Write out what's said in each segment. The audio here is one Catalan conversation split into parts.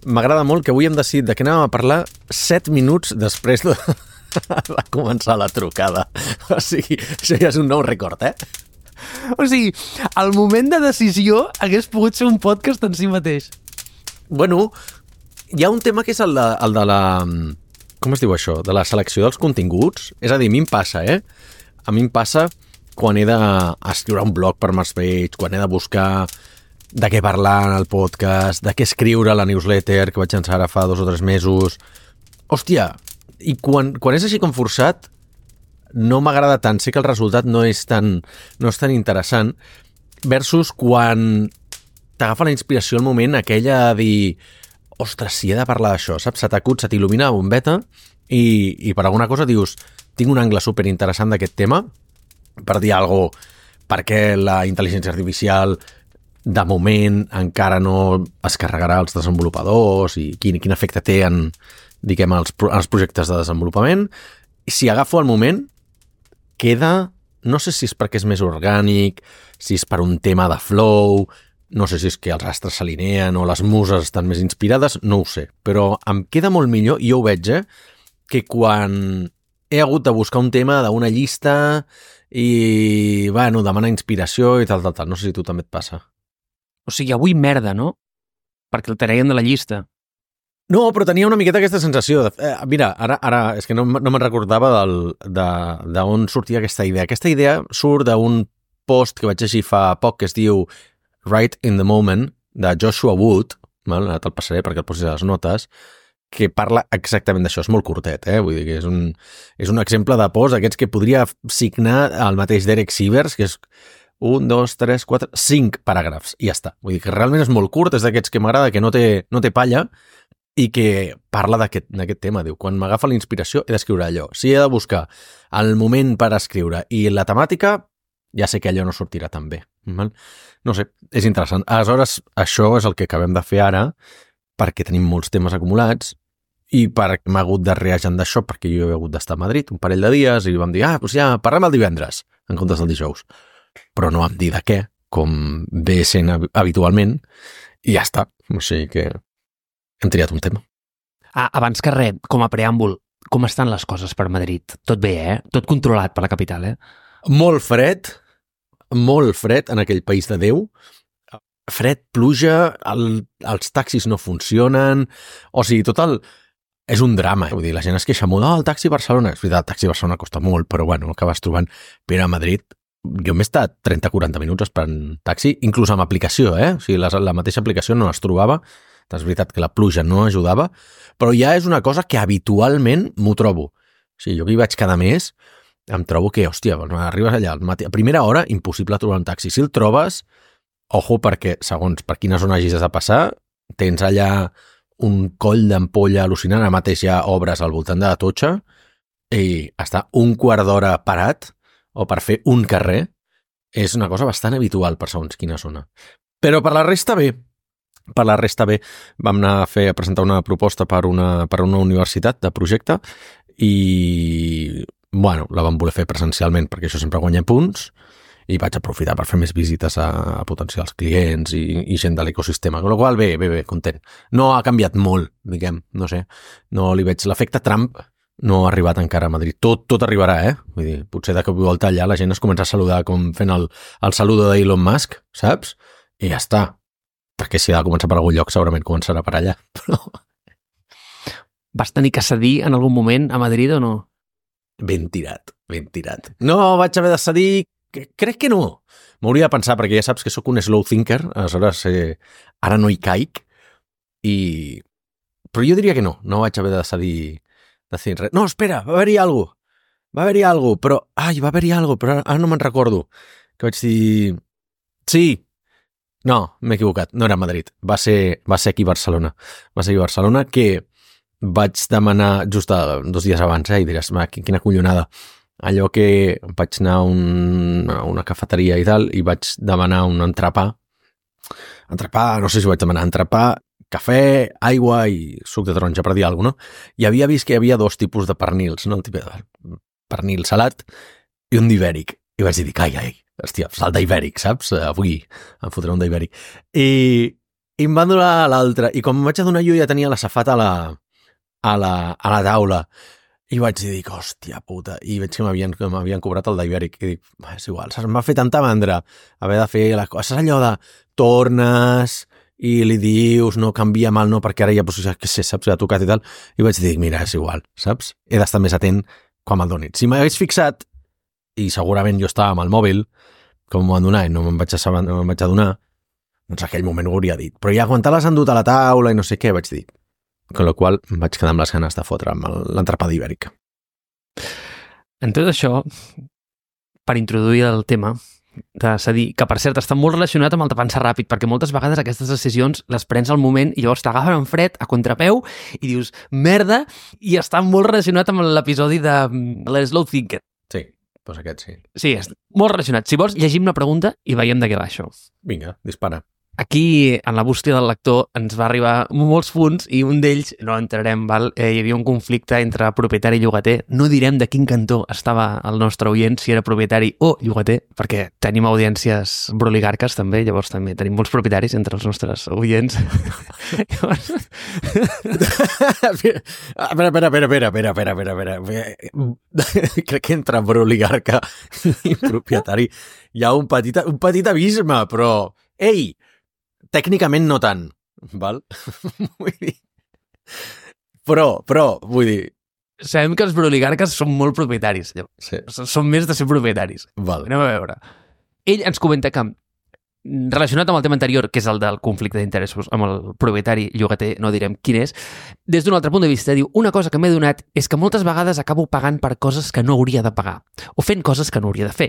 m'agrada molt que avui hem decidit de què anàvem a parlar 7 minuts després de començar la trucada. O sigui, això ja és un nou rècord, eh? O sigui, el moment de decisió hagués pogut ser un podcast en si mateix. Bueno, hi ha un tema que és el de la... Com es diu això? De la selecció dels continguts. És a dir, a mi em passa, A mi em passa quan he d'escriure un blog per Marspage, quan he de buscar de què parlar en el podcast, de què escriure a la newsletter que vaig llançar ara fa 2 o 3 mesos. Hòstia, i quan és així com forçat, no m'agrada tant. Sé que el resultat no és tan interessant versus quan t'agafa la inspiració al moment aquella de dir ostres, si he de parlar d'això, saps? Se t'acut, se t'il·lumina la bombeta i per alguna cosa dius tinc un angle superinteressant d'aquest tema per dir alguna cosa, perquè la intel·ligència artificial de moment encara no es carregarà els desenvolupadors i quin efecte té en, diguem, els projectes de desenvolupament. Si agafo el moment, queda, no sé si és perquè és més orgànic, si és per un tema de flow, no sé si és que els astres s'alineen o les muses estan més inspirades, no ho sé, però em queda molt millor, i jo ho veig, que quan he hagut de buscar un tema d'una llista i, bueno, demanar inspiració i tal. No sé si tu també et passa. O sigui, avui merda, no? Perquè el traien de la llista. No, però tenia una miqueta aquesta sensació. Mira, ara és que no me'n recordava d'on sortia aquesta idea. Aquesta idea surt d'un post que vaig llegir fa poc que es diu Right in the Moment, de Joshua Wood, ara te'l passaré perquè el posis a les notes, que parla exactament d'això. És molt curtet, vull dir que és un exemple de post d'aquests que podria signar el mateix Derek Sivers, que és 1, 2, 3, 4, 5 paràgrafs, i ja està. Vull dir que realment és molt curt, és d'aquests que m'agrada, que no té palla, i que parla d'aquest tema. Diu, quan m'agafa la inspiració he d'escriure allò. Si he de buscar el moment per escriure i la temàtica, ja sé que allò no sortirà tan bé. No sé, és interessant. Aleshores, això és el que acabem de fer ara, perquè tenim molts temes acumulats i perquè m'ha hagut de reagendar d'això, perquè jo he hagut d'estar a Madrid un parell de dies i vam dir, doncs ja, parlem el divendres, en comptes del dijous. Però no vam dir de què, com ve sent habitualment, i ja està. O sigui que hem triat un tema. Abans que res, com a preàmbul, com estan les coses per Madrid? Tot bé, Tot controlat per la capital, Molt fred en aquell país de Déu. Fred, pluja, els taxis no funcionen, o sigui, és un drama. Vull dir, la gent es queixa molt, el taxi a Barcelona. És veritat, el taxi a Barcelona costa molt, però bueno, acabes trobant. Però a Madrid, jo m'he estat 30-40 minuts esperant taxi, inclús amb aplicació, O sigui, la mateixa aplicació no es trobava. És veritat que la pluja no ajudava, però ja és una cosa que habitualment m'ho trobo. O sigui, jo que hi vaig cada mes, em trobo que, hòstia, arribes allà al matí, a primera hora, impossible trobar un taxi. Si el trobes, ojo, perquè segons per quina zona hagis de passar, tens allà un coll d'ampolla al·lucinant. Ara mateix hi ha obres al voltant de la Totxa i està un quart d'hora parat o per fer un carrer és una cosa bastant habitual per segons quina zona. Però per la resta bé. Vam anar a presentar una proposta per una universitat de projecte i, bueno, la vam voler fer presencialment perquè això sempre guanya punts i vaig aprofitar per fer més visites a potencials clients i gent de l'ecosistema, amb la qual cosa bé, content. No ha canviat molt, diguem, no sé, no li veig l'efecte Trump, no ha arribat encara a Madrid. Tot arribarà, Vull dir, potser de cop i volta allà la gent es comença a saludar com fent el saludo d'Elon Musk, saps? I ja està. Perquè si ha de començar per algun lloc segurament començarà per allà. Però... Vas tenir que cedir en algun moment a Madrid o no? Ben tirat. No vaig haver de cedir, crec que no. M'hauria de pensar, perquè ja saps que sóc un slow thinker, aleshores ara no hi caic, però jo diria que no vaig haver de cedir res. No, espera, va haver-hi alguna cosa, però ara no me'n recordo. Que vaig dir... Sí, no, m'he equivocat, no era a Madrid, va ser aquí a Barcelona. Va ser aquí a Barcelona que vaig demanar just 2 dies abans, i diràs, quina collonada. Allò que vaig anar a una cafeteria i tal, i vaig demanar un entrepà, no sé si vaig demanar entrepà, cafè, aigua i suc de taronja, per dir alguna cosa, no? I havia vist que hi havia 2 tipus de pernils, no? El tipus de pernil salat i un d'ibèric. I vaig dir, ai, hòstia, salt d'ibèric, saps? Avui em fotré un d'ibèric. I I em van donar l'altra. I quan em vaig adonar, jo ja tenia la safata a la taula. I vaig dir, hòstia puta, i veig que m'havien cobrat el d'Ibèric, i dic, és igual, saps? Em va fer tanta mandra haver de fer les coses, allò de tornes i li dius, no canvia mal, no, perquè ara ja, pues, que sé, saps, ja ha tocat i tal, i vaig dir, mira, és igual, saps? He d'estar més atent quan me'l donin. Si m'hagués fixat, i segurament jo estava amb el mòbil, com m'ho van donar i no me'n vaig adonar, doncs aquell moment ho hauria dit. Però ja quan te l'has endut a la taula i no sé què, vaig dir. Con la qual em vaig quedar amb les ganes de fotre amb l'entrapada ibèrica. En tot això, per introduir el tema, s'ha dit que, per cert, està molt relacionat amb el de pensar ràpid, perquè moltes vegades aquestes decisions les prens al moment i llavors t'agafen en fred, a contrapeu, i dius, merda, i està molt relacionat amb l'episodi de l'Slow Thinker. Sí, doncs aquest sí. Sí, és molt relacionat. Si vols, llegim una pregunta i veiem de què va això. Vinga, dispara. Aquí, en la bústia del lector, ens va arribar molts punts i un d'ells, no entrarem, val? Hi havia un conflicte entre propietari i llogater. No direm de quin cantó estava el nostre oient, si era propietari o llogater, perquè tenim audiències broligarques també, llavors també tenim molts propietaris entre els nostres oients. Espera. Crec que entre broligarca i propietari hi ha un petit abisme, però... Ei! Tècnicament no tant, val? Vull dir... Però, vull dir... Sabem que els broligarques són molt propietaris. Sí. Són més de ser propietaris. Val. Anem a veure. Ell ens comenta que, relacionat amb el tema anterior, que és el del conflicte d'interessos amb el propietari llogater, no direm quin és, des d'un altre punt de vista diu, una cosa que m'he donat és que moltes vegades acabo pagant per coses que no hauria de pagar, o fent coses que no hauria de fer,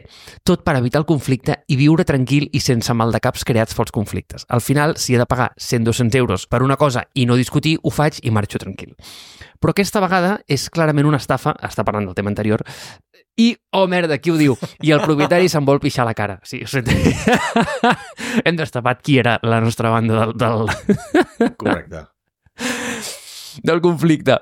tot per evitar el conflicte i viure tranquil i sense maldecaps creats pels conflictes. Al final, si he de pagar 100-200 euros per una cosa i no discutir, ho faig i marxo tranquil. Però aquesta vegada és clarament una estafa, està parlant del tema anterior, i, oh merda, qui ho diu? I el propietari se'n vol pixar la cara. Sí, hem destapat qui era la nostra banda del... Correcte. Del conflicte.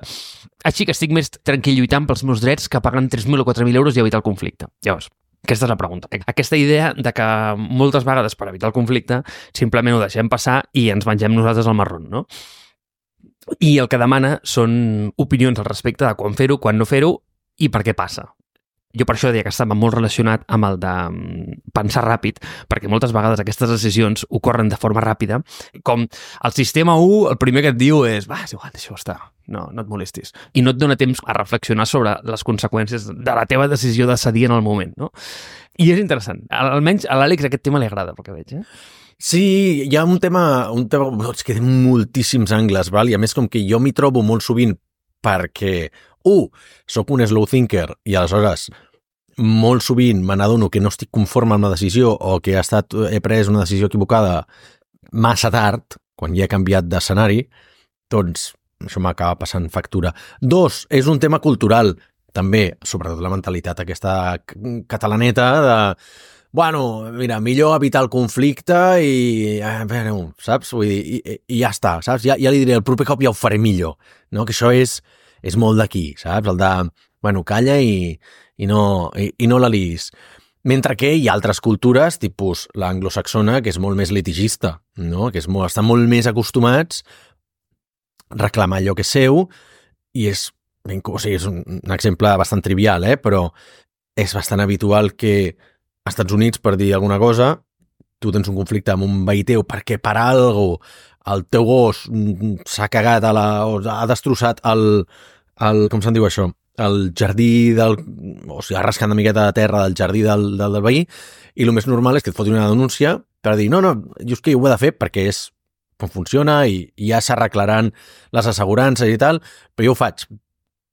Així que estic més tranquil lluitant pels meus drets que pagant 3.000 o 4.000 euros i evitar el conflicte. Llavors, aquesta és la pregunta. Aquesta idea de que moltes vegades per evitar el conflicte simplement ho deixem passar i ens mengem nosaltres el marrón, no? I el que demana són opinions al respecte de quan fer-ho, quan no fer-ho i per què passa. Jo per això deia que estava molt relacionat amb el de pensar ràpid, perquè moltes vegades aquestes decisions ocorren de forma ràpida, com el sistema 1, el primer que et diu és, va, és igual, deixa-ho estar, no et molestis. I no et dona temps a reflexionar sobre les conseqüències de la teva decisió de cedir en el moment, no? I és interessant. Almenys a l'Àlex aquest tema li agrada, pel que veig, Sí, hi ha un tema és que té moltíssims angles, val? I a més com que jo m'hi trobo molt sovint perquè, soc un slow thinker i aleshores molt sovint me n'adono que no estic conforme amb la decisió o que he pres una decisió equivocada massa tard, quan ja he canviat d'escenari, doncs això m'acaba passant factura. 2, és un tema cultural, també, sobretot la mentalitat aquesta catalaneta de... Bueno, mira, millor evitar el conflicte i... saps? Vull dir, i ja està, saps? Ja li diré, el proper cop ja ho faré millor, no? Que això és molt d'aquí, saps? El de, bueno, calla i no la liis. Mentre que hi ha altres cultures, tipus l'anglosaxona, que és molt més litigista, no? Que estan molt més acostumats a reclamar allò que és seu i és un exemple bastant trivial, però és bastant habitual que als Estats Units, per dir alguna cosa, tu tens un conflicte amb un veí teu perquè per algo el teu gos s'ha cagat o ha destrossat com se'n diu això? El jardí o sigui, ha rascat una miqueta de terra del jardí del veí i el més normal és que et fotin una denúncia per dir, no, jo és que ho he de fer perquè és com funciona i ja s'arreglaran les assegurances i tal, però jo ho faig.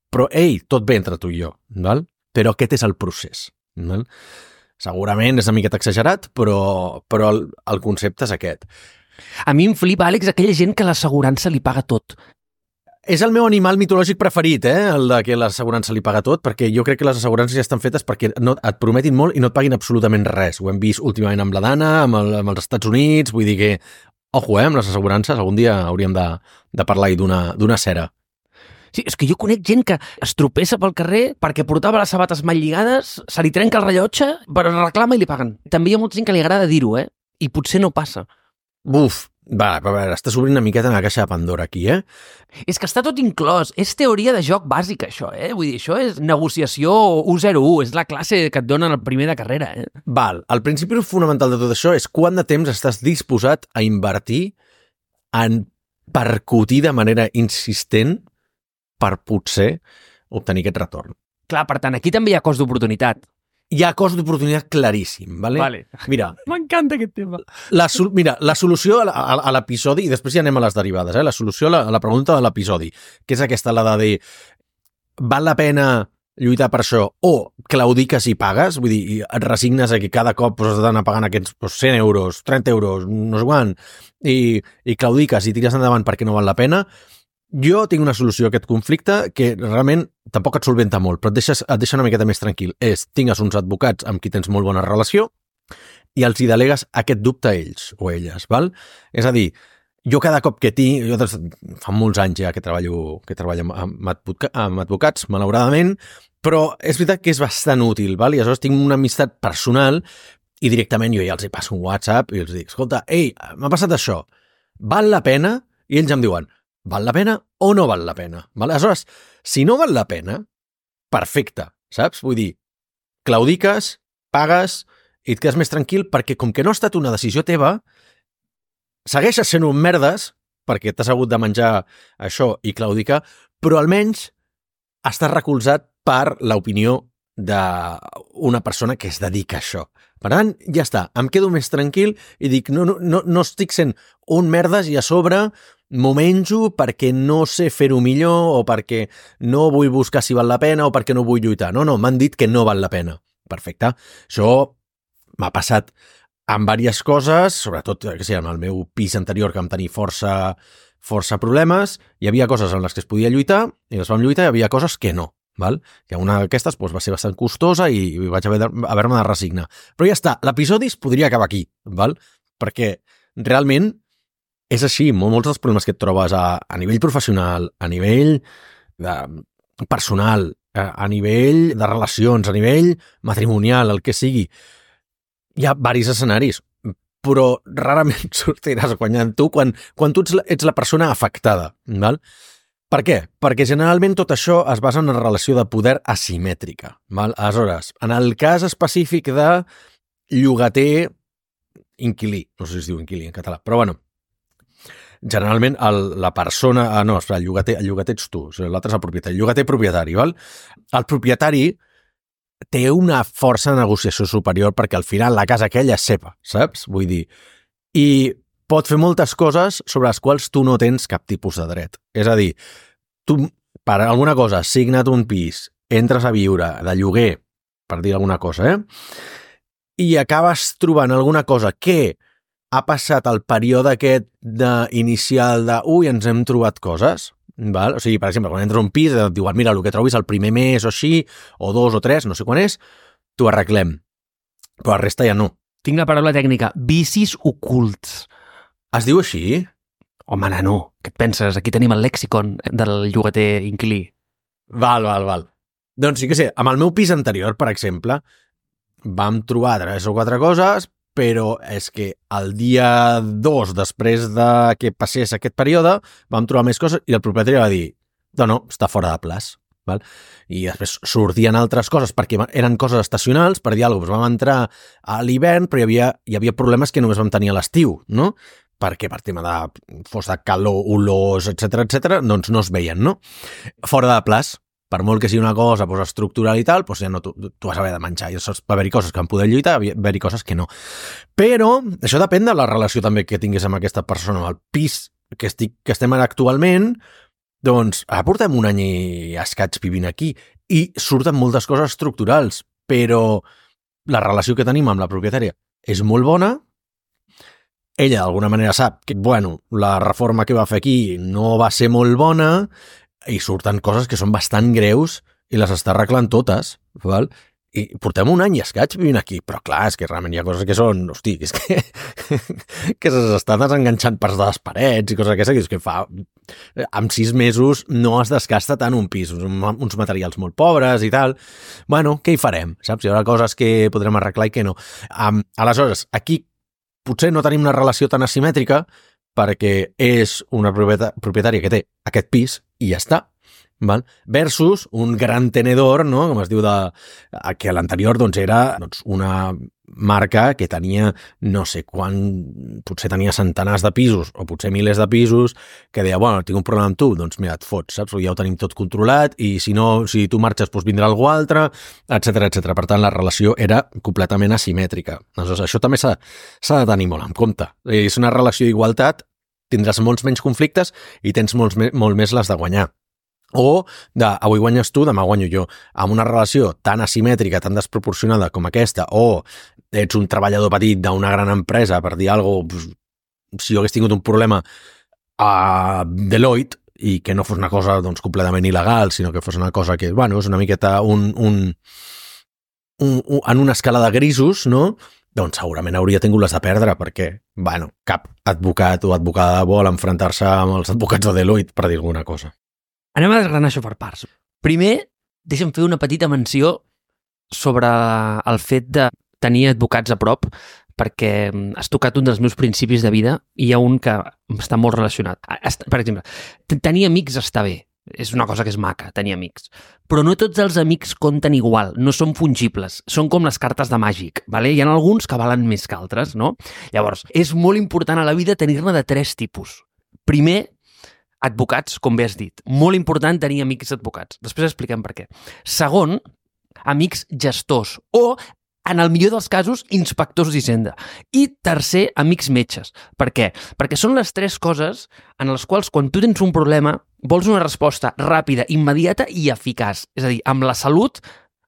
Però, tot bé entre tu i jo, val? Però aquest és el procés, val? Segurament és una miqueta exagerat, però el concepte és aquest. A mi em flipa, Àlex, aquella gent que l'assegurança li paga tot. És el meu animal mitològic preferit, el de que l'assegurança li paga tot, perquè jo crec que les assegurances ja estan fetes perquè et prometin molt i no et paguin absolutament res. Ho hem vist últimament amb la Dana, amb els Estats Units, vull dir que, ojo, amb les assegurances, algun dia hauríem de parlar-hi d'una cera. Sí, és que jo conec gent que es tropessa pel carrer perquè portava les sabates mal lligades, se li trenca el rellotge, però reclama i li paguen. També hi ha molta gent que li agrada dir-ho, i potser no passa. Buf, Va, a veure, estàs obrint una miqueta en la caixa de Pandora aquí, És que està tot inclòs. És teoria de joc bàsica, això, Vull dir, això és negociació 101. És la classe que et donen el primer de carrera, Val, el principi fonamental de tot això és quant de temps estàs disposat a invertir en percutir de manera insistent per potser obtenir aquest retorn. Clar, per tant, aquí també hi ha cost d'oportunitat. Hi ha cost d'oportunitat claríssim, ¿vale? Vale. Mira, M'encanta aquest tema. la solució a l'episodi, i després ja anem a les derivades, la solució a la pregunta de l'episodi, que és aquesta, la de dir, val la pena lluitar per això, o claudiques i pagues, vull dir, i et resignes a que cada cop has d'anar pagant aquests 100 euros, 30 euros, no sé quant, i claudiques i tires endavant perquè no val la pena. Jo tinc una solució a aquest conflicte que realment tampoc et solventa molt, però et deixa una miqueta més tranquil. Tingues uns advocats amb qui tens molt bona relació i els hi delegues aquest dubte a ells o a elles, val? És a dir, jo cada cop que jo fa molts anys ja que treballo amb advocats, malauradament, però és veritat que és bastant útil, val? I aleshores tinc una amistat personal i directament jo ja els hi passo un WhatsApp i els dic, escolta, ei, m'ha passat això, val la pena? I ells em diuen, val la pena o no val la pena? Val? Aleshores, si no val la pena, perfecte, saps? Vull dir, claudiques, pagues i et quedes més tranquil perquè com que no ha estat una decisió teva, segueixes sent un merdes perquè t'has hagut de menjar això i claudicar, però almenys estàs recolzat per l'opinió d'una persona que es dedica a això. Per tant, ja està, em quedo més tranquil i dic, no estic sent un merdes i a sobre m'ho menjo perquè no sé fer-ho millor o perquè no vull buscar si val la pena o perquè no vull lluitar. No, m'han dit que no val la pena. Perfecte. Això m'ha passat amb diverses coses, sobretot en el meu pis anterior que vam tenir força problemes, hi havia coses en les que es podia lluitar i les vam lluitar i hi havia coses que no. Val? Que una d'aquestes va ser bastant costosa i vaig haver-me de resignar. Però ja està, l'episodi es podria acabar aquí, val? Perquè realment és així, molts dels problemes que et trobes a nivell professional, a nivell personal, a nivell de relacions, a nivell matrimonial, el que sigui, hi ha diversos escenaris, però rarament sortiràs guanyant tu quan tu ets la persona afectada, val? Per què? Perquè generalment tot això es basa en una relació de poder asimètrica. Val? Aleshores, en el cas específic de llogater-inquilí, no sé si es diu inquilí en català, però bueno, generalment la persona... el llogater ets tu, l'altre és el propietari. Llogater-propietari, val? El propietari té una força de negociació superior perquè al final la casa aquella és seva, saps? Vull dir, i pot fer moltes coses sobre les quals tu no tens cap tipus de dret. És a dir, tu per alguna cosa has signat un pis, entres a viure de lloguer, per dir alguna cosa, i acabes trobant alguna cosa que ha passat el període aquest inicial de ens hem trobat coses, val? O sigui, per exemple, quan entres a un pis et diuen, mira, el que trobis el primer mes o així, o 2 o 3, no sé quan és, t'ho arreglem. Però la resta ja no. Tinc la paraula tècnica, vicis ocults. Es diu així? Home, nano, què et penses? Aquí tenim el lèxicon del llogater inquilí. Val. Doncs sí que sé, amb el meu pis anterior, per exemple, vam trobar 3 o 4 coses, però és que el dia 2, després de que passés aquest període, vam trobar més coses i el propietari va dir, no, està fora de plaç. Val? I després sortien altres coses perquè eren coses estacionals, per dir alguna cosa, vam entrar a l'hivern, però hi havia problemes que només vam tenir a l'estiu, no? Perquè per tema de fos de calor, olors, etc, doncs no es veien, no? Fora de plaç, per molt que sigui una cosa estructural i tal, ja no, tu vas haver de menjar, i va haver-hi coses que van poder lluitar, va haver-hi coses que no. Però això depèn de la relació també que tinguis amb aquesta persona, amb el pis que estem actualment, doncs ara portem un any i escaig vivint aquí i surten moltes coses estructurals, però la relació que tenim amb la propietària és molt bona. Ella d'alguna manera sap que, la reforma que va fer aquí no va ser molt bona i surten coses que són bastant greus i les està arreglant totes, val? I portem un any i escaig vivint aquí, però clar, és que realment hi ha coses que són, hosti, és que s'estan desenganxant parts de les parets i coses d'aquestes, que fa, amb 6 mesos no es desgasta tant un pis, uns materials molt pobres i tal. Què hi farem? Saps? Hi haurà coses que podrem arreglar i que no. Aleshores, aquí potser no tenim una relació tan asimètrica, perquè és una propietària que té aquest pis i ja està. Val? Versus un gran tenedor, no? Com es diu, que l'anterior doncs, era una marca que tenia no sé quan, potser tenia centenars de pisos o potser milers de pisos, que deia, bueno, tinc un problema amb tu, doncs mira, et fots, saps? Ja ho tenim tot controlat i si no, si tu marxes, doncs vindrà algú altre, etc etc. Per tant, la relació era completament asimètrica. Aleshores, això també s'ha de tenir molt en compte. És una relació d'igualtat, tindràs molts menys conflictes i tens molt més les de guanyar. O avui guanyes tu, demà guanyo jo. Amb una relació tan asimètrica, tan desproporcionada com aquesta, o ets un treballador petit d'una gran empresa, per dir alguna cosa, si jo hagués tingut un problema a Deloitte i que no fos una cosa doncs, completament il·legal, sinó que fos una cosa que, bueno, és una miqueta en una escala de grisos, no? Doncs segurament hauria tingut les de perdre, perquè, bueno, cap advocat o advocada vol enfrontar-se amb els advocats de Deloitte, per dir alguna cosa. Anem a desgranar això per parts. Primer, deixa'm fer una petita menció sobre el fet de tenir advocats a prop, perquè has tocat un dels meus principis de vida i hi ha un que està molt relacionat. Per exemple, tenir amics està bé, és una cosa que és maca, tenir amics. Però no tots els amics compten igual, no són fungibles, són com les cartes de màgic, ¿vale? Hi ha alguns que valen més que altres, no? Llavors, és molt important a la vida tenir-ne de 3 tipus. Primer, advocats, com bé has dit. Molt important tenir amics advocats. Després expliquem per què. Segon, amics gestors o, en el millor dels casos, inspectors d'Hisenda. I tercer, amics metges. Per què? Perquè són les 3 coses en les quals, quan tu tens un problema, vols una resposta ràpida, immediata i eficaç. És a dir, amb la salut,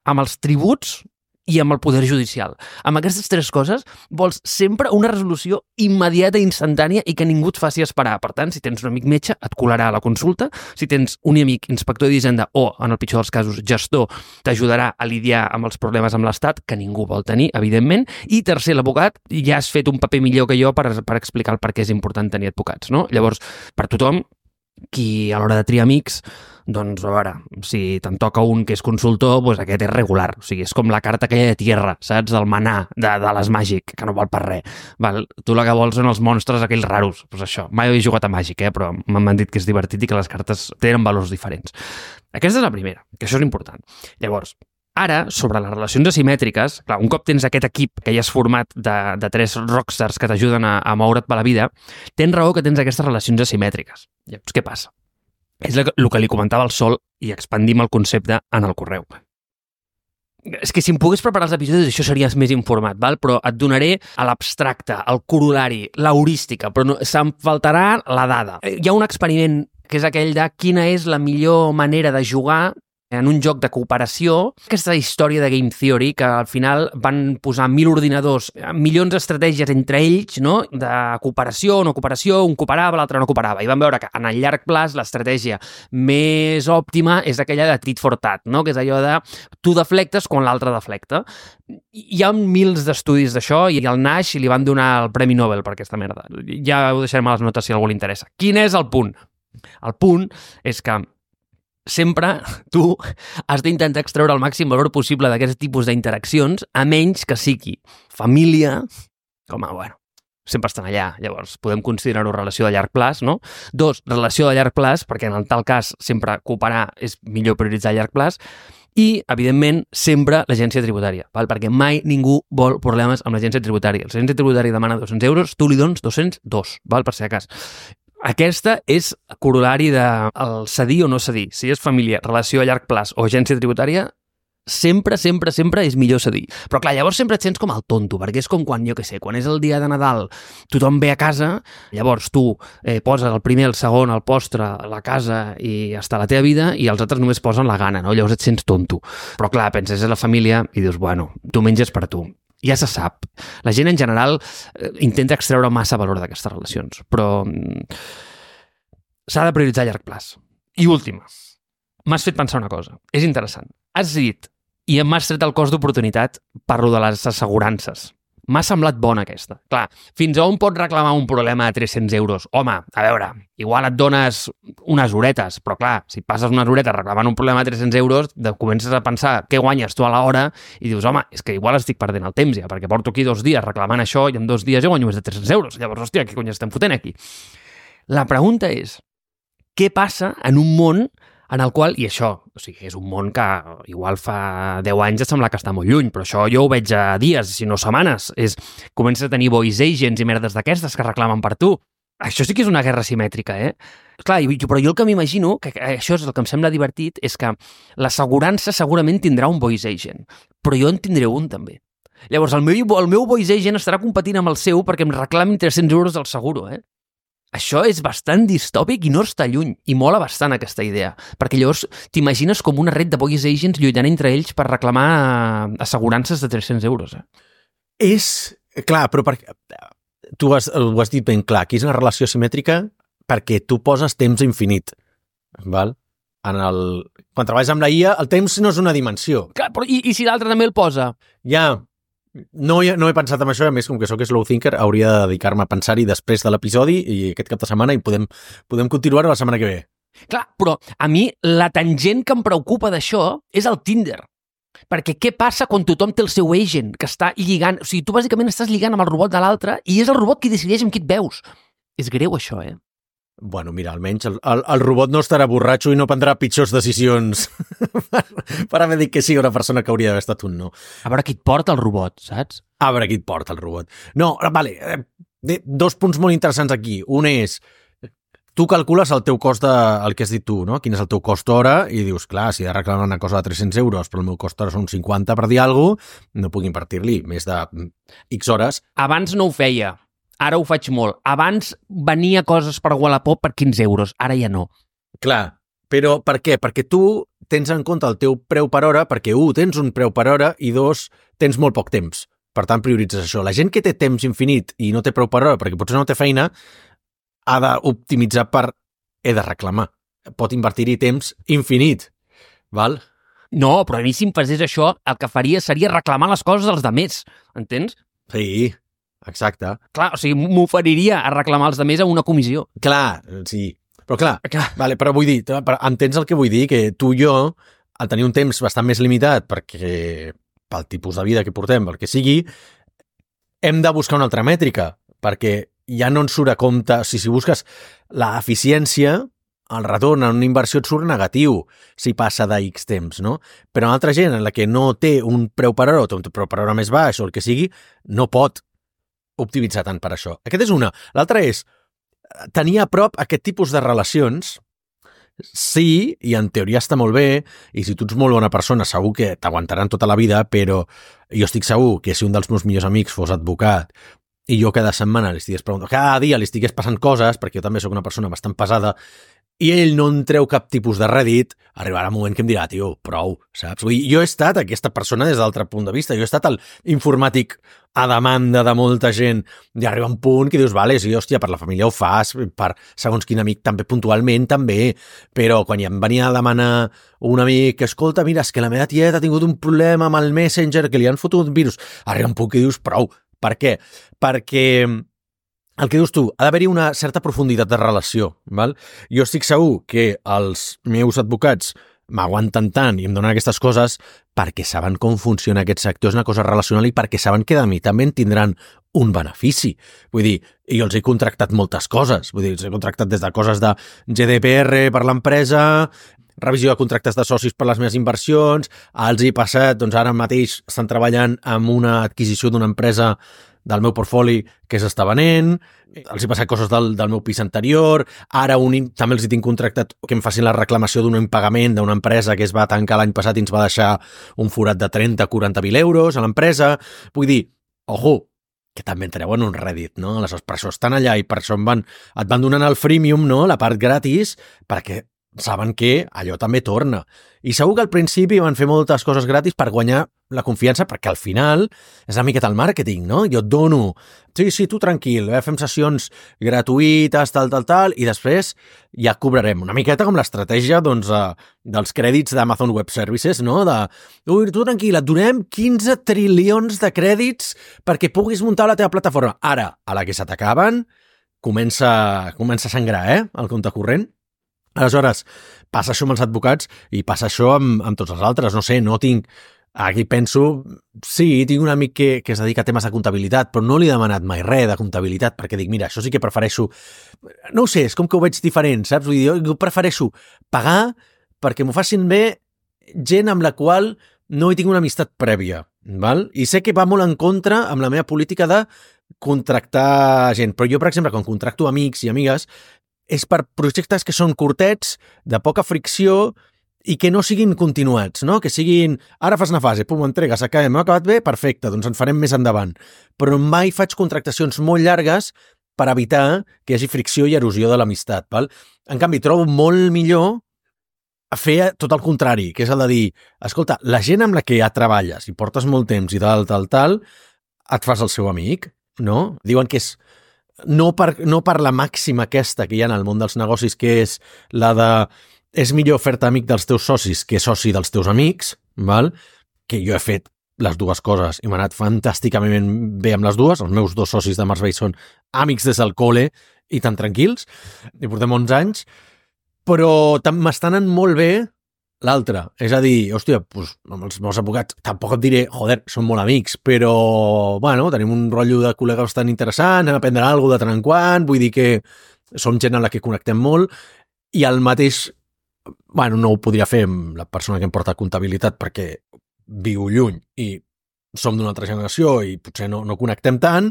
amb els tributs i amb el poder judicial. Amb aquestes 3 coses vols sempre una resolució immediata i instantània i que ningú et faci esperar. Per tant, si tens un amic metge, et colarà a la consulta. Si tens un amic inspector d'Hisenda o, en el pitjor dels casos, gestor, t'ajudarà a lidiar amb els problemes amb l'Estat, que ningú vol tenir, evidentment. I tercer, l'advocat, ja has fet un paper millor que jo per explicar el per què és important tenir advocats, no? Llavors, per tothom, qui a l'hora de triar amics, doncs a veure, si te'n toca un que és consultor, doncs aquest és regular, o sigui, és com la carta aquella de tierra, saps? Del manar, de les Màgic, que no val per res. Val? Tu la que vols són els monstres aquells raros, doncs això. Mai he jugat a Màgic, però m'han dit que és divertit i que les cartes tenen valors diferents. Aquesta és la primera, que això és important. Llavors, ara, sobre les relacions asimètriques, clar, un cop tens aquest equip que ja has format de 3 rockstars que t'ajuden a moure't per la vida, tens raó que tens aquestes relacions asimètriques. Llavors, què passa? És el que li comentava el Sol i expandim el concepte en el correu. És que si em pogués preparar els episodis això series més informat, val? Però et donaré a l'abstracte, el corolari, l'heurística, però no, se'm faltarà la dada. Hi ha un experiment que és aquell de quina és la millor manera de jugar en un joc de cooperació, aquesta història de Game Theory, que al final van posar 1.000 ordinadors, milions d'estratègies entre ells, no? De cooperació o no cooperació, un cooperava, l'altre no cooperava, i van veure que en el llarg plaç l'estratègia més òptima és aquella de tit for tat, no? Que és allò de tu deflectes quan l'altre deflecta. Hi ha mils d'estudis d'això i al Nash li van donar el Premi Nobel per aquesta merda. Ja ho deixarem a les notes si a algú li interessa. Quin és el punt? El punt és que sempre tu has d'intentar extreure el màxim valor possible d'aquest tipus d'interaccions, a menys que sigui família, com a, bueno, sempre estan allà, llavors podem considerar-ho relació de llarg plaç, no? 2, relació de llarg plaç, perquè en tal cas sempre cooperar és millor prioritzar a llarg plaç, i, evidentment, sempre l'agència tributària, val? Perquè mai ningú vol problemes amb l'agència tributària. L'agència tributària demana 200 euros, tu li dones 202, val? Per si de cas. Aquesta és corolari del cedir o no cedir. Si és família, relació a llarg plaç o agència tributària, sempre, sempre, sempre és millor cedir. Però clar, llavors sempre et sents com el tonto, perquè és com quan, jo què sé, quan és el dia de Nadal, tothom ve a casa, llavors tu poses el primer, el segon, el postre, la casa i està la teva vida, i els altres només posen la gana, no? Llavors et sents tonto. Però clar, penses en la família i dius, bueno, tu menges per tu. Ja se sap. La gent en general intenta extreure massa valor d'aquestes relacions, però s'ha de prioritzar a llarg plaç. I última, m'has fet pensar una cosa. És interessant. Has dit, i m'has tret el cost d'oportunitat, parlo de les assegurances. M'ha semblat bona aquesta. Clar, fins a on pots reclamar un problema de 300 euros? Home, a veure, igual et dones unes horetes, però clar, si passes unes horetes reclamant un problema de 300 euros, comences a pensar què guanyes tu a l'hora i dius, home, és que igual estic perdent el temps ja, perquè porto aquí 2 dies reclamant això i en 2 dies ja guanyo més de 300 euros. Llavors, hòstia, què cony estem fotent aquí? La pregunta és, què passa en un món en el qual, i això, o sigui, és un món que igual fa 10 anys et sembla que està molt lluny, però això jo ho veig a dies, si no setmanes, comences a tenir voice agents i merdes d'aquestes que reclamen per tu. Això sí que és una guerra simètrica, Clar, però jo el que m'imagino, que això és el que em sembla divertit, és que l'assegurança segurament tindrà un voice agent, però jo en tindré un també. Llavors, el meu voice agent estarà competint amb el seu perquè em reclamin 300 euros del seguro, Això és bastant distòpic i no està lluny, i mola bastant aquesta idea, perquè llavors t'imagines com una red de voice agents lluitant entre ells per reclamar assegurances de 300 euros. És, clar, però tu ho has dit ben clar, aquí és una relació simètrica perquè tu poses temps infinit, val? Quan treballes amb la IA, el temps no és una dimensió. Clar, però i si l'altre també el posa? Ja, no he pensat en això, a més, com que sóc slow thinker, hauria de dedicar-me a pensar-hi després de l'episodi i aquest cap de setmana i podem continuar-ho la setmana que ve. Clar, però a mi la tangent que em preocupa d'això és el Tinder. Perquè què passa quan tothom té el seu agent, que està lligant... O sigui, tu bàsicament estàs lligant amb el robot de l'altre i és el robot qui decideix amb qui et veus. És greu, això, Bueno, mira, almenys el robot no estarà borratxo i no prendrà pitjors decisions per haver dit que sí a una persona que hauria d'haver estat un no. A veure qui et porta el robot, saps? A veure qui et porta el robot. No, vale, 2 punts molt interessants aquí. Un és, tu calcules el teu cost el que has dit tu, no? Quin és el teu cost hora i dius, clar, si he de reclamar una cosa de 300 euros però el meu cost hora són 50 per dir alguna cosa, no puc invertir-li més de X hores. Abans no ho feia. Ara ho faig molt. Abans venia coses per Wallapop per 15 euros, ara ja no. Clar, però per què? Perquè tu tens en compte el teu preu per hora, perquè tens un preu per hora i 2, tens molt poc temps. Per tant, prioritzes això. La gent que té temps infinit i no té preu per hora, perquè potser no té feina, ha d'optimitzar per he de reclamar. Pot invertir-hi temps infinit, val? No, però a mi si em passés això, el que faria seria reclamar les coses dels demés, entens? Sí, exacte. Clar, o sigui, m'oferiria a reclamar els demés a una comissió. Clar, sí. Però clar, vale, però vull dir, entens el que vull dir? Que tu i jo, al tenir un temps bastant més limitat, perquè pel tipus de vida que portem, pel que sigui, hem de buscar una altra mètrica, perquè ja no ens surt a compte, si busques l'eficiència, el retorn en una inversió et surt negatiu si passa de X temps, no? Però una altra gent en la que no té un preu per hora o té un preu per hora més baix o el que sigui, no pot optimitzar tant per això. Aquest és una. L'altra és tenir a prop aquest tipus de relacions. Sí, i en teoria està molt bé, i si tu ets molt bona persona segur que t'aguantaran tota la vida, però jo estic segur que si un dels meus millors amics fos advocat i jo cada setmana li estigués preguntant, cada dia li estigués passant coses, perquè jo també sóc una persona bastant pesada, i ell no en treu cap tipus de rèdit, arribarà un moment que em dirà, tio, prou, saps? Vull dir, jo he estat aquesta persona des d'altre punt de vista, jo he estat el informàtic a demanda de molta gent, i arriba un punt que dius, vale, sí, hòstia, per la família ho fas, per segons quin amic també puntualment, també, però quan ja em venia a demanar un amic que, escolta, mira, és que la meva tieta ha tingut un problema amb el Messenger, que li han fotut un virus, arriba un punt que dius, prou, per què? Perquè el que dius tu, ha d'haver-hi una certa profunditat de relació, val? Jo estic segur que els meus advocats m'aguanten tant i em donen aquestes coses perquè saben com funciona aquest sector, és una cosa relacional i perquè saben que de mi també en tindran un benefici. Vull dir, jo els he contractat moltes coses, vull dir, els he contractat des de coses de GDPR per l'empresa, revisió de contractes de socis per les meves inversions, els he passat, doncs ara mateix estan treballant amb una adquisició d'una empresa del meu portfoli que s'està venent, els he passat coses del meu pis anterior, ara també els hi tinc contractat que em facin la reclamació d'un impagament d'una empresa que es va tancar l'any passat i ens va deixar un forat de 30-40.000 euros a l'empresa. Vull dir, ojo, que també en treuen un rèdit, no? Aleshores, per això estan allà i per això et van donant el freemium, no? La part gratis, perquè saben que allò també torna. I segur que al principi van fer moltes coses gratis per guanyar la confiança, perquè al final és una miqueta el màrqueting, no? Jo et dono, sí, tu tranquil, fem sessions gratuïtes, tal, i després ja cobrarem. Una miqueta com l'estratègia doncs, dels crèdits d'Amazon Web Services, no? Tu tranquil, et donem 15 trilions de crèdits perquè puguis muntar la teva plataforma. Ara, a la que se t'acaben, comença a sangrar, el compte corrent. Aleshores, passa això amb els advocats i passa això amb tots els altres. No sé, no tinc... Aquí penso... Sí, tinc un amic que es dedica a temes de comptabilitat, però no li he demanat mai res de comptabilitat, perquè dic, mira, això sí que prefereixo... No ho sé, és com que ho veig diferent, saps? Vull dir, jo prefereixo pagar perquè m'ho facin bé gent amb la qual no hi tinc una amistat prèvia, val? I sé que va molt en contra amb la meva política de contractar gent, però jo, per exemple, quan contracto amics i amigues, és per projectes que són curtets, de poca fricció i que no siguin continuats, no? Que siguin, ara fas una fase, pum, entregues, acabem, ha acabat bé, perfecte, doncs en farem més endavant. Però mai faig contractacions molt llargues per evitar que hi hagi fricció i erosió de l'amistat, val? En canvi, trobo molt millor fer tot el contrari, que és el de dir, escolta, la gent amb la que ja treballes i portes molt temps i tal, et fas el seu amic, no? Diuen que és no per la màxima aquesta que hi ha en el món dels negocis, que és la de és millor fer-te amic dels teus socis que soci dels teus amics, val? Que jo he fet les dues coses i m'ha anat fantàsticament bé amb les dues. Els meus dos socis de Marsbay són amics des del col·le i tan tranquils, i portem 11 anys, però m'està anant molt bé l'altre. És a dir, hòstia, doncs, amb els meus advocats tampoc et diré, joder, som molt amics, però, bueno, tenim un rotllo de col·legues bastant interessant, anem a aprendre alguna cosa de tant en quant, vull dir que som gent amb la que connectem molt, i el mateix, bueno, no ho podria fer amb la persona que em porta comptabilitat perquè viu lluny i som d'una altra generació i potser no connectem tant,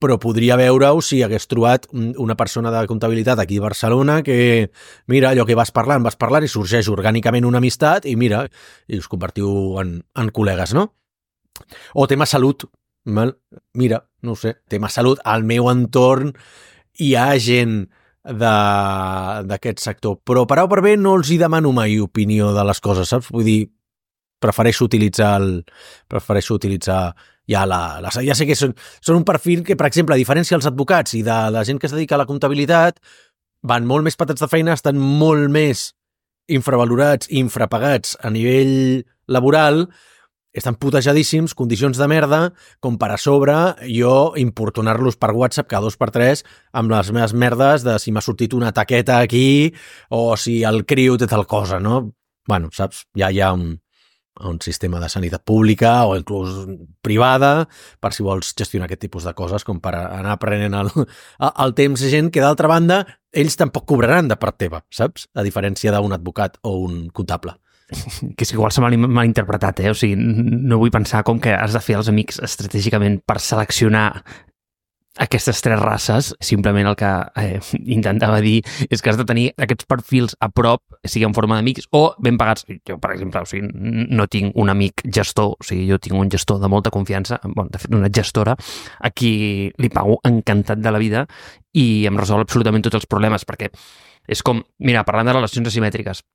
però podria veure-ho si hagués trobat una persona de comptabilitat aquí a Barcelona que, mira, allò que vas parlant i sorgeix orgànicament una amistat i mira, i us convertiu en col·legues, no? O tema salut, val? Mira, no ho sé, tema salut, al meu entorn hi ha gent d'aquest sector, però per A o per B no els hi demano mai opinió de les coses, saps? Vull dir, prefereixo utilitzar ja sé que són un perfil que, per exemple, a diferència dels advocats i de la gent que es dedica a la comptabilitat, van molt més patats de feina, estan molt més infravalorats i infrapagats a nivell laboral, estan putejadíssims, condicions de merda, com per a sobre jo importunar-los per WhatsApp cada 2 per 3 amb les meves merdes de si m'ha sortit una taqueta aquí o si el criu té tal cosa, no? Bueno, saps? Ja hi ha un sistema de sanitat pública o inclús privada per si vols gestionar aquest tipus de coses com per anar aprenent el temps de gent que, d'altra banda, ells tampoc cobraran de part teva, saps? A diferència d'un advocat o un comptable. Que és que igual se m'ha malinterpretat, O sigui, no vull pensar com que has de fer els amics estratègicament per seleccionar aquestes 3 races. Simplement el que intentava dir és que has de tenir aquests perfils a prop, sigui en forma d'amics o ben pagats. Jo, per exemple, o sigui, no tinc un amic gestor, o sigui, jo tinc un gestor de molta confiança, bueno, de fet, una gestora, a qui li pago encantat de la vida i em resol absolutament tots els problemes, perquè és com, mira, parlant de relacions asimètriques,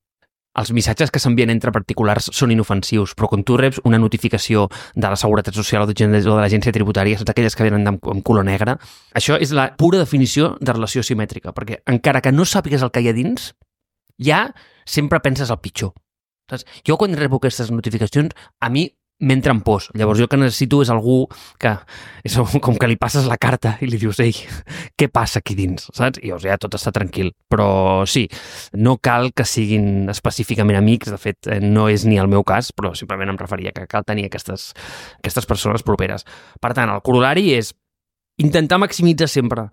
els missatges que s'envien entre particulars són inofensius, però quan tu reps una notificació de la Seguretat Social o de l'Agència Tributària, són aquelles que venen amb color negre, això és la pura definició de relació asimètrica, perquè encara que no sàpigues el que hi ha dins, ja sempre penses el pitjor. Saps? Jo quan rebo aquestes notificacions, a mi m'entra en pors. Llavors jo que necessito és algú que és com que li passes la carta i li dius, ei, què passa aquí dins? Saps? I llavors ja tot està tranquil. Però sí, no cal que siguin específicament amics, de fet no és ni el meu cas, però simplement em referia que cal tenir aquestes persones properes. Per tant, el corollari és intentar maximitzar sempre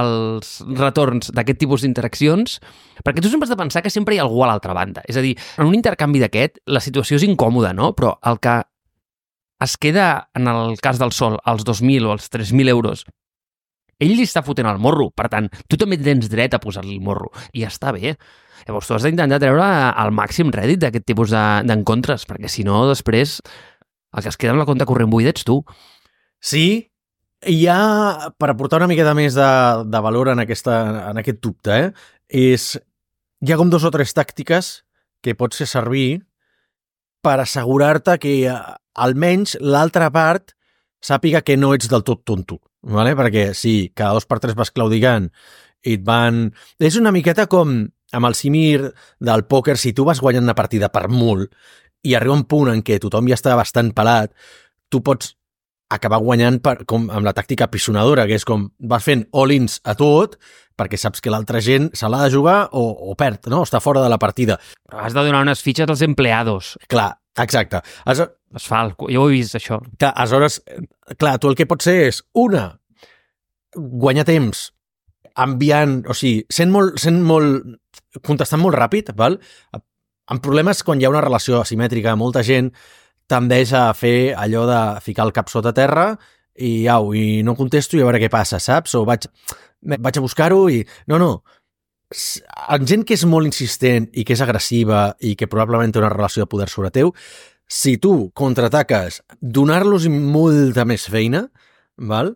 els retorns d'aquest tipus d'interaccions, perquè tu sempre has de pensar que sempre hi ha algú a l'altra banda. És a dir, en un intercanvi d'aquest, la situació és incòmoda, no? Però el que es queda, en el cas del Sol, als 2.000 o als 3.000 euros, ell li està fotent el morro. Per tant, tu també tens dret a posar-li el morro. I ja està bé. Llavors, tu has d'intentar treure el màxim rèdit d'aquest tipus d'encontres, perquè si no, després, el que es queda amb la compte corrent buida ets tu. Sí, hi ha, per aportar una miqueta més de valor en aquest dubte, és hi ha com 2 o 3 tàctiques que pots fer servir per assegurar-te que almenys l'altra part sàpiga que no ets del tot tonto, ¿vale? Perquè si cada 2 per 3 vas claudigant i et van... És una miqueta com amb el símil del pòquer, si tu vas guanyant una partida per molt i arriba un punt en què tothom ja està bastant pelat, tu pots acabar guanyant com amb la tàctica pisonadora, que és com vas fent all-ins a tot perquè saps que l'altra gent se l'ha de jugar o perd, no? Està fora de la partida. Però has de donar unes fitxes als empleados. Clar, exacte. Es fa, jo ho he vist, això. Clar, aleshores, clar, tu el que pots ser és, guanyar temps enviant, o sigui, contestant molt ràpid, val? Amb problemes quan hi ha una relació asimètrica, molta gent tendeix a fer allò de ficar el cap sota terra i no contesto i a veure què passa, saps? O vaig a buscar-ho i... No. En gent que és molt insistent i que és agressiva i que probablement té una relació de poder sobre teu, si tu contraataques donar-los molta més feina, val?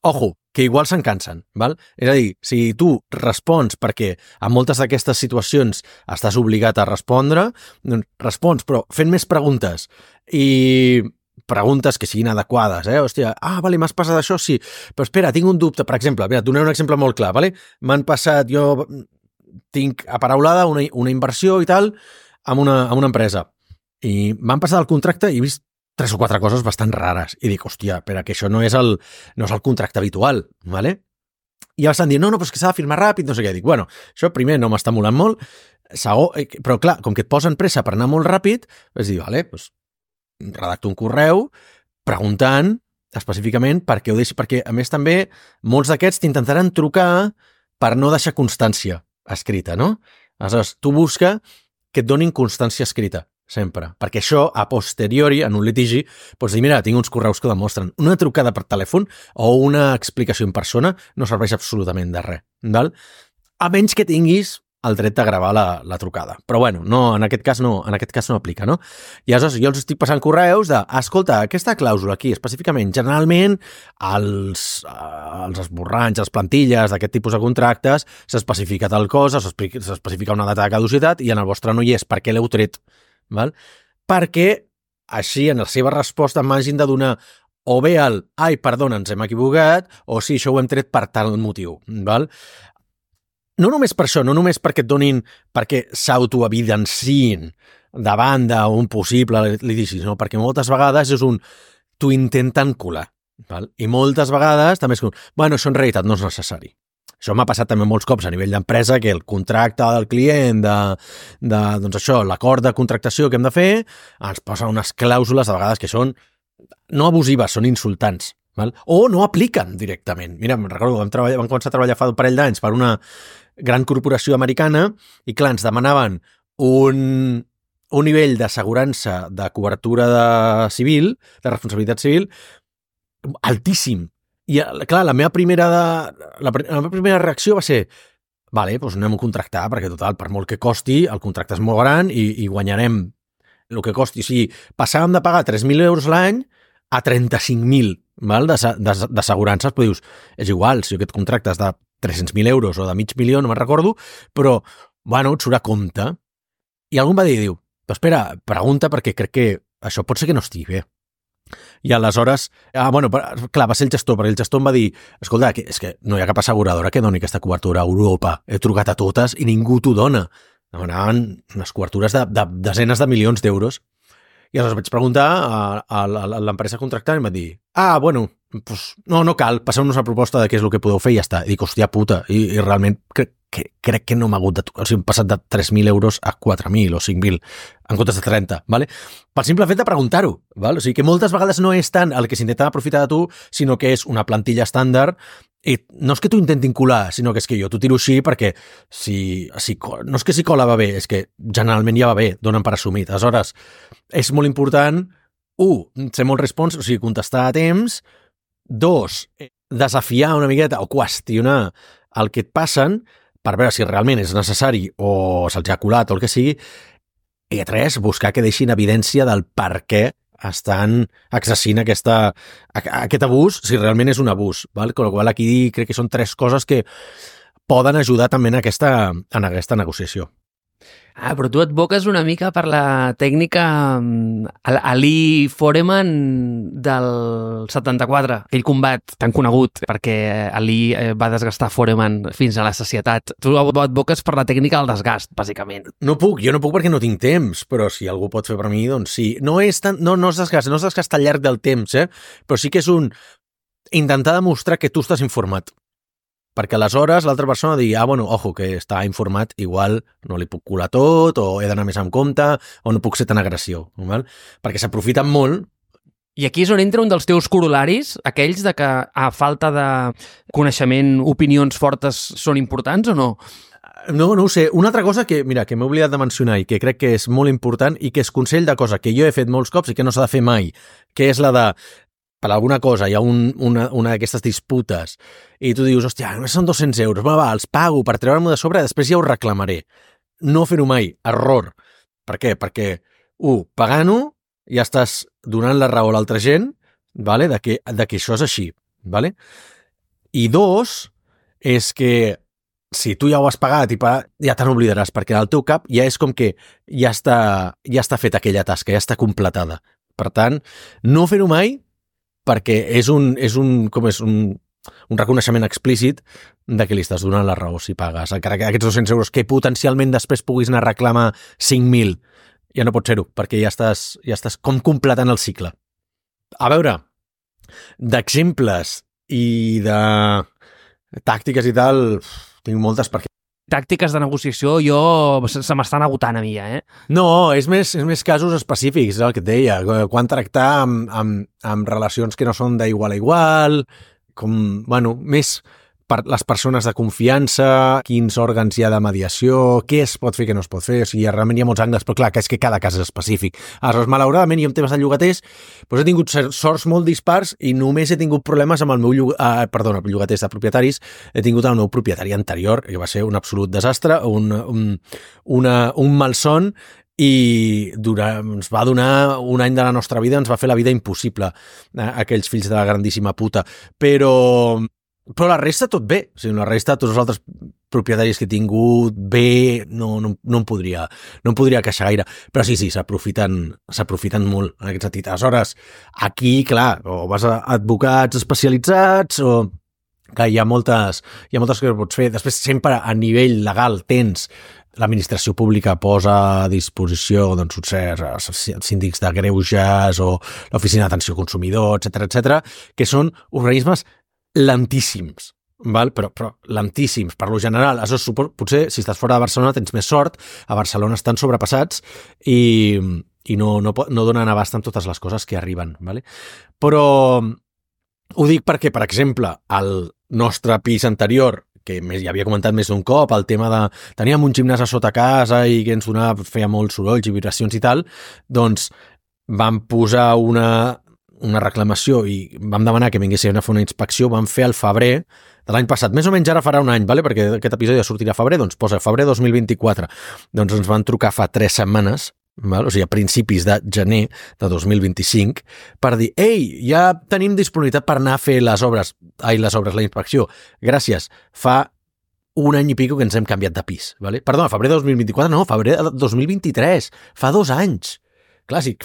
Ojo, que igual se'n cansen, val? És a dir, si tu respons perquè en moltes d'aquestes situacions estàs obligat a respondre, doncs respons, però fent més preguntes i preguntes que siguin adequades, Hòstia, vale, m'has passat això, sí, però espera, tinc un dubte, per exemple, mira, et donaré un exemple molt clar, vale? M'han passat, jo tinc aparaulada una inversió i tal amb una empresa i m'han passat el contracte i he vist 3 o 4 coses bastant rares. I dic, hòstia, però que això no és el contracte habitual, ¿vale? I estan dient, no, però és que s'ha de firmar ràpid, no sé què. Dic, bueno, això primer no m'està molant molt, però clar, com que et posen pressa per anar molt ràpid, és dir, vale, doncs redacto un correu preguntant específicament per què ho deixi, perquè a més també molts d'aquests t'intentaran trucar per no deixar constància escrita, no? Aleshores, tu busca que et donin constància escrita, sempre. Perquè això, a posteriori, en un litigi, pots dir, mira, tinc uns correus que demostren. Una trucada per telèfon o una explicació en persona no serveix absolutament de res, val? A menys que tinguis el dret de gravar la trucada. Però bueno, no, en aquest cas no aplica, no? I aleshores jo els estic passant correus de, escolta, aquesta clàusula aquí, específicament, generalment, els esborranys, les plantilles d'aquest tipus de contractes, s'especifica tal cosa, s'especifica una data de caducitat i en el vostre no hi és. Per què l'heu tret? Val? Perquè així en la seva resposta m'hagin de donar o bé perdona, ens hem equivocat, o sí, això ho hem tret per tal motiu. Val? No només per això, no només perquè et donin, perquè s'autoevidenciïn davant d'un possible litigi, sinó perquè moltes vegades és t'ho intenten colar. Val? I moltes vegades també és bueno, això en realitat no és necessari. Això m'ha passat també molts cops a nivell d'empresa, que el contracte del client, doncs això, l'acord de contractació que hem de fer, ens posa unes clàusules a vegades que són no abusives, són insultants. Val? O no apliquen directament. Mira, me'n recordo, vam començar a treballar fa un parell d'anys per una gran corporació americana i, clar, ens demanaven un nivell d'assegurança de cobertura de responsabilitat civil, altíssim. I, clar, la meva primera reacció va ser vale, doncs anem a contractar, perquè total, per molt que costi, el contracte és molt gran i guanyarem el que costi. O sigui, passàvem de pagar 3.000 euros l'any a 35.000 d'assegurances, però dius, és igual, si aquest contracte és de 300.000 euros o de $500.000, no me'n recordo, però, bueno, et surt a compte. I algú em va dir, però espera, pregunta, perquè crec que això pot ser que no estigui bé. I aleshores, clar, va ser el gestor, perquè el gestor em va dir, escolta, és que no hi ha cap asseguradora que doni aquesta cobertura a Europa. He trucat a totes i ningú t'ho dona. Demanaven unes cobertures de desenes de milions d'euros. I aleshores vaig preguntar a l'empresa contractant i em va dir, bueno, pues, no cal, passeu-nos una proposta de què és el que podeu fer i ja està. I dic, hòstia puta, i realment crec que no m'ha hagut o sigui, hem passat de 3.000 euros a 4.000 o 5.000 en comptes de 30, ¿vale? Pel simple fet de preguntar-ho, ¿vale? O sigui que moltes vegades no és tant el que s'intenta aprofitar de tu, sinó que és una plantilla estàndard i no és que t'ho intentin colar, sinó que és que jo t'ho tiro així perquè no és que si cola va bé, és que generalment ja va bé, donen per assumit. Aleshores, és molt important, ser molt respons, o sigui, contestar a temps, 2, desafiar una miqueta o qüestionar el que et passen per veure si realment és necessari o se'ls ha colat o el que sigui, i 3, buscar que deixin evidència del per què estan exercint aquest abús, si realment és un abús. Val? Con la qual aquí crec que són 3 coses que poden ajudar també en aquesta negociació. Però tu advoques una mica per la tècnica Ali Foreman del 74, aquell combat tan conegut perquè Ali va desgastar Foreman fins a la sacietat. Tu advoques per la tècnica del desgast, bàsicament. Jo no puc perquè no tinc temps, però si algú pot fer per mi, doncs sí. No és desgast al llarg del temps, però sí que és intentar demostrar que tu estàs informat. Perquè aleshores l'altra persona digui, ojo, que està informat, igual no li puc colar tot, o he d'anar més en compte, o no puc ser tan agressiu, val? Perquè s'aprofiten molt. I aquí és on entra un dels teus corolaris, aquells de que a falta de coneixement, opinions fortes són importants o no? No ho sé. Una altra cosa que m'he oblidat de mencionar i que crec que és molt important i que és consell de cosa que jo he fet molts cops i que no s'ha de fer mai, que és la de per alguna cosa hi ha una d'aquestes disputes i tu dius, hòstia, només són 200 euros, va, els pago per treure-m'ho de sobre i després ja ho reclamaré. No fer-ho mai, error. Per què? Perquè, pagant-ho ja estàs donant la raó a l'altra gent, vale? de que això és així. Vale? I dos, és que si tu ja ho has pagat ja te n'oblidaràs, perquè al teu cap ja és com que ja està feta aquella tasca, ja està completada. Per tant, no fer-ho mai, perquè és un reconeixement explícit de que li estàs donant la raó si pagues. Encara que aquests 200 euros que potencialment després puguis anar a reclamar 5.000, ja no pot ser-ho, perquè ja estàs com completant el cicle. A veure, d'exemples i de tàctiques i tal, tinc moltes perquè tàctiques de negociació se m'estan agotant a mi ja, No, és més casos específics, és el que et deia. Quan tractar amb relacions que no són d'igual a igual, més per les persones de confiança, quins òrgans hi ha de mediació, què es pot fer, què no es pot fer, o sigui, realment hi ha molts angles, però clar, que és que cada cas és específic. Aleshores, malauradament, jo en temes de llogaters, doncs he tingut sorts molt dispars i només he tingut problemes amb el meu llogaters de propietaris, he tingut el meu propietari anterior, que va ser un absolut desastre, un malson, i ens va donar un any de la nostra vida, ens va fer la vida impossible, aquells fills de la grandíssima puta. Però la resta tot bé, o sigui, la resta, tots els altres propietaris que he tingut bé, no em podria queixar gaire, però sí, s'aprofiten molt en aquest sentit. Aleshores, aquí, clar, o vas a advocats especialitzats, o que hi ha moltes coses que pots fer. Després, sempre a nivell legal tens l'administració pública posa a disposició els síndics de greuges o l'oficina d'atenció al consumidor, etc, que són organismes lentíssims, val? Però lentíssims, per lo general. Potser, si estàs fora de Barcelona, tens més sort. A Barcelona estan sobrepassats i no donen abast amb totes les coses que arriben. Vale? Però ho dic perquè, per exemple, al nostre pis anterior, que ja havia comentat més d'un cop, el tema de teníem un gimnàs a sota casa i que ens feia molts sorolls i vibracions i tal, doncs vam posar una reclamació i vam demanar que vinguessin a fer una inspecció, vam fer al febrer de l'any passat, més o menys ara farà un any, vale? Perquè aquest episodi ja sortirà a febrer, doncs posa febrer 2024. Doncs ens van trucar fa 3 setmanes, val? O sigui, a principis de gener de 2025, per dir, ei, ja tenim disponibilitat per anar a fer la inspecció. Gràcies, fa un any i pico que ens hem canviat de pis. Vale? Perdona, febrer de 2024, no, febrer de 2023, fa 2 anys. Clar, sí,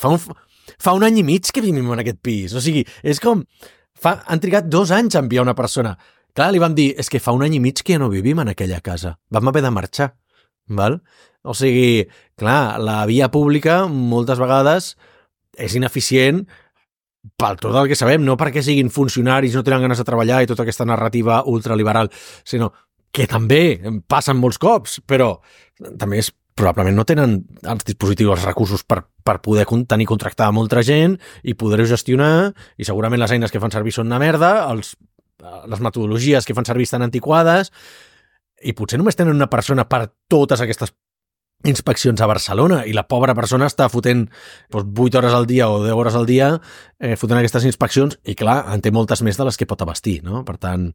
fa un any i mig que vivim en aquest pis. O sigui, és com han trigat 2 anys a enviar una persona. Clar, li vam dir, és que fa un any i mig que ja no vivim en aquella casa. Vam haver de marxar. Val? O sigui, clar, la via pública moltes vegades és ineficient pel tot el que sabem, no perquè siguin funcionaris, no tenen ganes de treballar i tota aquesta narrativa ultraliberal, sinó que també passen molts cops, però també probablement no tenen els dispositius, els recursos per poder tenir contractada molta gent i poder-ho gestionar, i segurament les eines que fan servir són una merda, les metodologies que fan servir estan antiquades, i potser només tenen una persona per totes aquestes inspeccions a Barcelona, i la pobra persona està fotent 8 hores al dia o 10 hores al dia fotent aquestes inspeccions, i clar, en té moltes més de les que pot abastir, no? Per tant,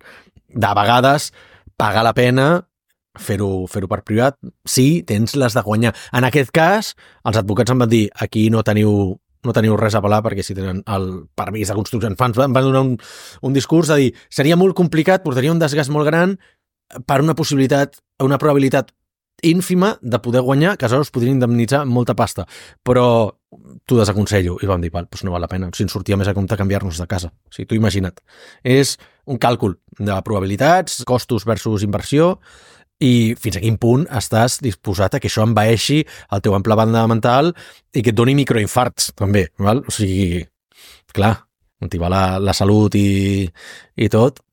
de vegades paga la pena fer-ho per privat, sí, tens les de guanyar. En aquest cas, els advocats em van dir, aquí no teniu res a pelar perquè si tenen el permís de construcció. Em van donar un discurs de dir, seria molt complicat, portaria un desgast molt gran, per una probabilitat ínfima de poder guanyar, que aleshores podrien indemnitzar molta pasta. Però t'ho desaconsello. I vam dir, doncs no val la pena. Si ens sortia més a compte canviar-nos de casa. O sigui, tu imagina't. És un càlcul de probabilitats, costos versus inversió, i fins a quin punt estàs disposat a que això envaeixi el teu ample banda mental i que et doni microinfarts, també. Val? O sigui, clar, on t'hi va la salut i tot,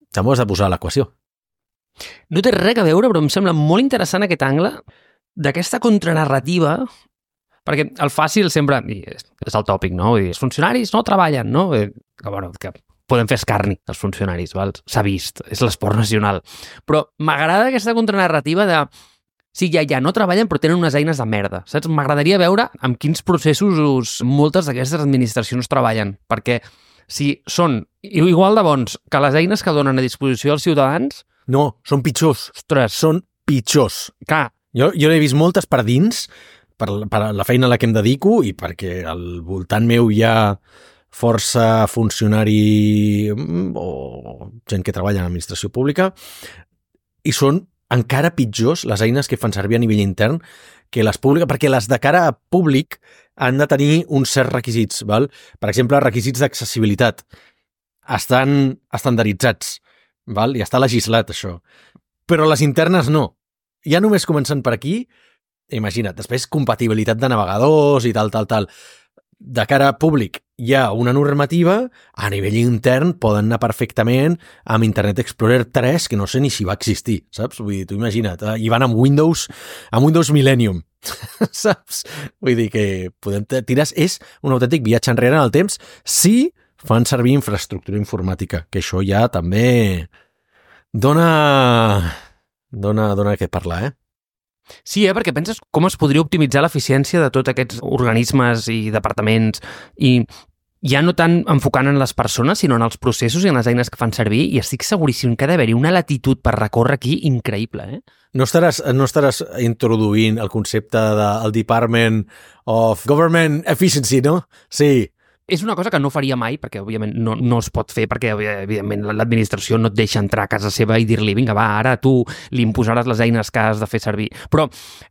t'ho has de posar a l'equació. No té res a veure, però em sembla molt interessant aquest angle d'aquesta contranarrativa, perquè el fàcil sempre, i és el tòpic, no? Vull dir, els funcionaris no treballen, no? Que podem fer escarni, els funcionaris, val? S'ha vist, és l'esport nacional. Però m'agrada aquesta contranarrativa de sí, ja no treballen, però tenen unes eines de merda, saps? M'agradaria veure amb quins processos moltes d'aquestes administracions treballen, perquè si són igual de bons que les eines que donen a disposició als ciutadans... No, són pitjors. Ostres. Són pitjors. Clar. Jo n'he vist moltes per dins, per la feina a la que em dedico i perquè al voltant meu hi ha força funcionari o gent que treballa en l'administració pública i són encara pitjors les eines que fan servir a nivell intern que les públiques, perquè les de cara a públic han de tenir uns certs requisits, val? Per exemple, requisits d'accessibilitat. Estan estandarditzats, val? I està legislat, això. Però les internes no. Ja només començant per aquí, imagina't, després compatibilitat de navegadors i tal. De cara a públic hi ha una normativa, a nivell intern poden anar perfectament amb Internet Explorer 3, que no sé ni si va existir, saps? Vull dir, tu imagina't, i van amb Windows Millennium, saps? Vull dir que podem tires, és un autèntic viatge enrere en el temps si fan servir infraestructura informàtica, que això ja també dona què parlar, Sí, perquè penses com es podria optimitzar l'eficiència de tots aquests organismes i departaments i ja no tant enfocant en les persones, sinó en els processos i en les eines que fan servir, i estic seguríssim que ha d'haver-hi una latitud per recórrer aquí increïble, No estaràs introduint el concepte del Department of Government Efficiency, no? Sí. És una cosa que no faria mai, perquè òbviament no es pot fer, perquè evidentment l'administració no et deixa entrar a casa seva i dir-li, vinga, va, ara tu li imposaràs les eines que has de fer servir. Però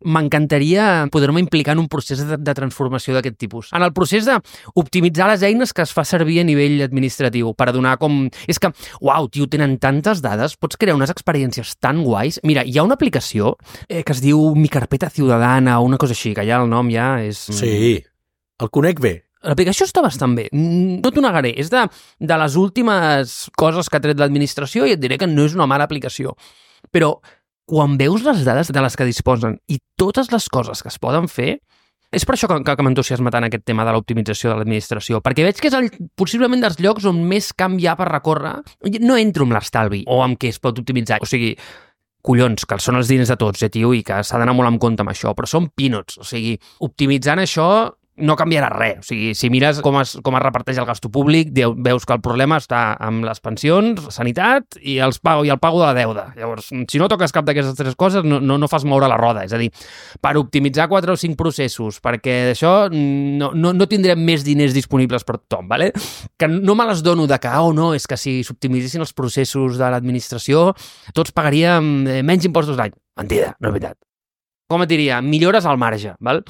m'encantaria poder-me implicar en un procés de transformació d'aquest tipus. En el procés d'optimitzar les eines que es fa servir a nivell administratiu, per donar com... És que, uau, tio, tenen tantes dades, pots crear unes experiències tan guais. Mira, hi ha una aplicació que es diu Mi Carpeta Ciudadana o una cosa així, que ja el nom ja és... Sí, el conec bé. L'aplicació està bastant bé, no t'ho negaré, és de les últimes coses que ha tret l'administració i et diré que no és una mala aplicació. Però quan veus les dades de les que disposen i totes les coses que es poden fer, és per això que m'entusiasma tant aquest tema de l'optimització de l'administració, perquè veig que és possiblement dels llocs on més camp hi ha per recórrer. No entro amb l'estalvi o amb què es pot optimitzar, o sigui... collons, que són els diners de tots, tio, i que s'ha d'anar molt en compte amb això, però són peanuts, o sigui, optimitzant això no canviarà res. O sigui, si mires com es reparteix el gasto públic, veus que el problema està amb les pensions, sanitat i el pago de la deuda. Llavors, si no toques cap d'aquestes tres coses, no fas moure la roda. És a dir, per optimitzar 4 o 5 processos, perquè d'això no tindrem més diners disponibles per tothom, ¿vale? Que no me les dono de que, no, és que si s'optimitzessin els processos de l'administració, tots pagaríem menys impostos l'any. Mentida, no és veritat. Com et diria? Millores al marge, val?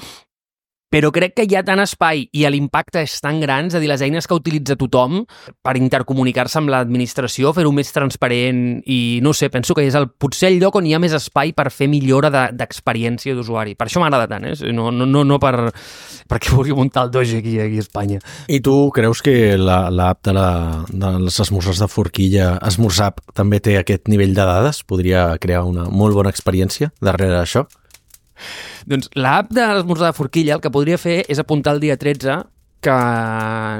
Però crec que hi ha tant espai i l'impacte és tan gran, és a dir, les eines que utilitza tothom per intercomunicar-se amb l'administració, fer-ho més transparent i, no sé, penso que és potser el lloc on hi ha més espai per fer millora d'experiència d'usuari. Per això m'agrada tant, no perquè vulgui muntar el doge aquí a Espanya. I tu creus que l'app de les esmorzars de forquilla, Esmorzap, també té aquest nivell de dades? Podria crear una molt bona experiència darrere d'això? Doncs l'app de l'esmorzar de forquilla el que podria fer és apuntar el dia 13 que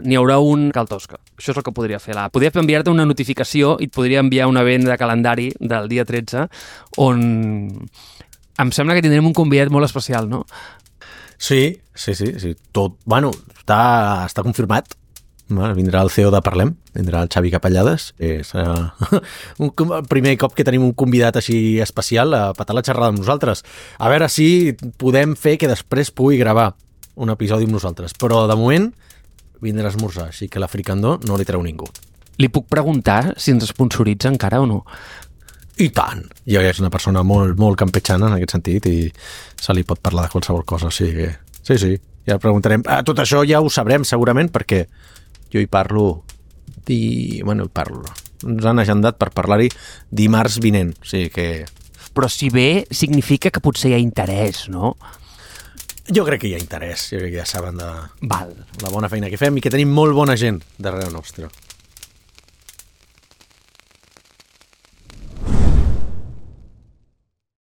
n'hi haurà un Cal Tosca. Això és el que podria fer l'app. Podria enviar-te una notificació i et podria enviar un event de calendari del dia 13 on em sembla que tindrem un convidat molt especial, no? Sí. Tot, està confirmat. Vindrà el CEO de Parlem, vindrà el Xavi Capellades. És el primer cop que tenim un convidat així especial a patar la xerrada amb nosaltres. A veure si podem fer que després pugui gravar un episodi amb nosaltres. Però de moment vindrà a esmorzar, així que la fricandó no li treu ningú. Li puc preguntar si ens sponsoritza encara o no? I tant. Jo és una persona molt, molt campechana en aquest sentit i se li pot parlar de qualsevol cosa. O sigui que, sí, ja preguntarem. Tot això ja ho sabrem segurament perquè jo hi parlo ens han agendat per parlar-hi dimarts vinent. O sigui que... Però si bé significa que potser hi ha interès, no? Jo crec que hi ha interès. Jo crec que ja saben de Val. la bona feina que fem i que tenim molt bona gent darrere nostre.